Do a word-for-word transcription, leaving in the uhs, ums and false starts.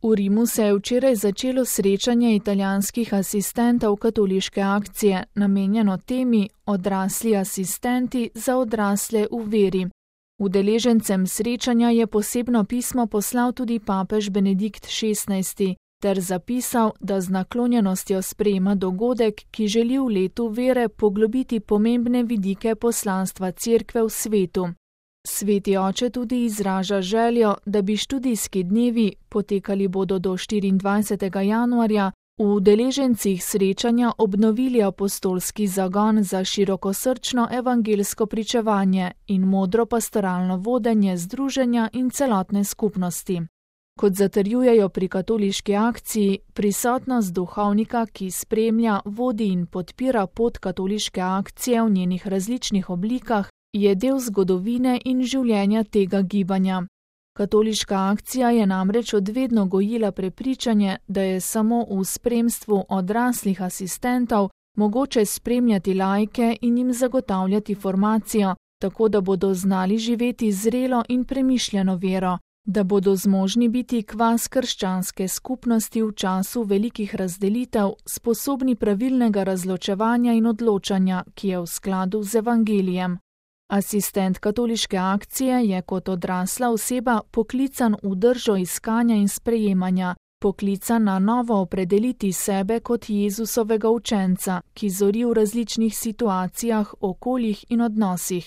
V Rimu se je včeraj začelo srečanje italijanskih asistentov katoliške akcije, namenjeno temi Odrasli asistenti za odrasle v veri. Udeležencem srečanja je posebno pismo poslal tudi papež Benedikt šestnajsti ter zapisal, da z naklonjenostjo sprejema dogodek, ki želi v letu vere poglobiti pomembne vidike poslanstva Cerkve v svetu. Sveti oče tudi izraža željo, da bi študijski dnevi, potekali bodo do štiriindvajsetega januarja, v udeležencih srečanja obnovili apostolski zagon za širokosrčno evangelsko pričevanje in modro pastoralno vodenje združenja in celotne skupnosti. Kot zatrjujejo pri katoliški akciji, prisotnost duhovnika, ki spremlja, vodi in podpira pot katoliške akcije v njenih različnih oblikah, je del zgodovine in življenja tega gibanja. Katoliška akcija je namreč odvedno gojila prepričanje, da je samo v spremstvu odraslih asistentov mogoče spremljati laike in jim zagotavljati formacijo, tako da bodo znali živeti zrelo in premišljeno vero, da bodo zmožni biti kvas krščanske skupnosti v času velikih razdelitev, sposobni pravilnega razločevanja in odločanja, ki je v skladu z evangelijem. Asistent katoliške akcije je kot odrasla oseba poklican v držo iskanja in sprejemanja, poklican na novo opredeliti sebe kot Jezusovega učenca, ki zori v različnih situacijah, okoljih in odnosih.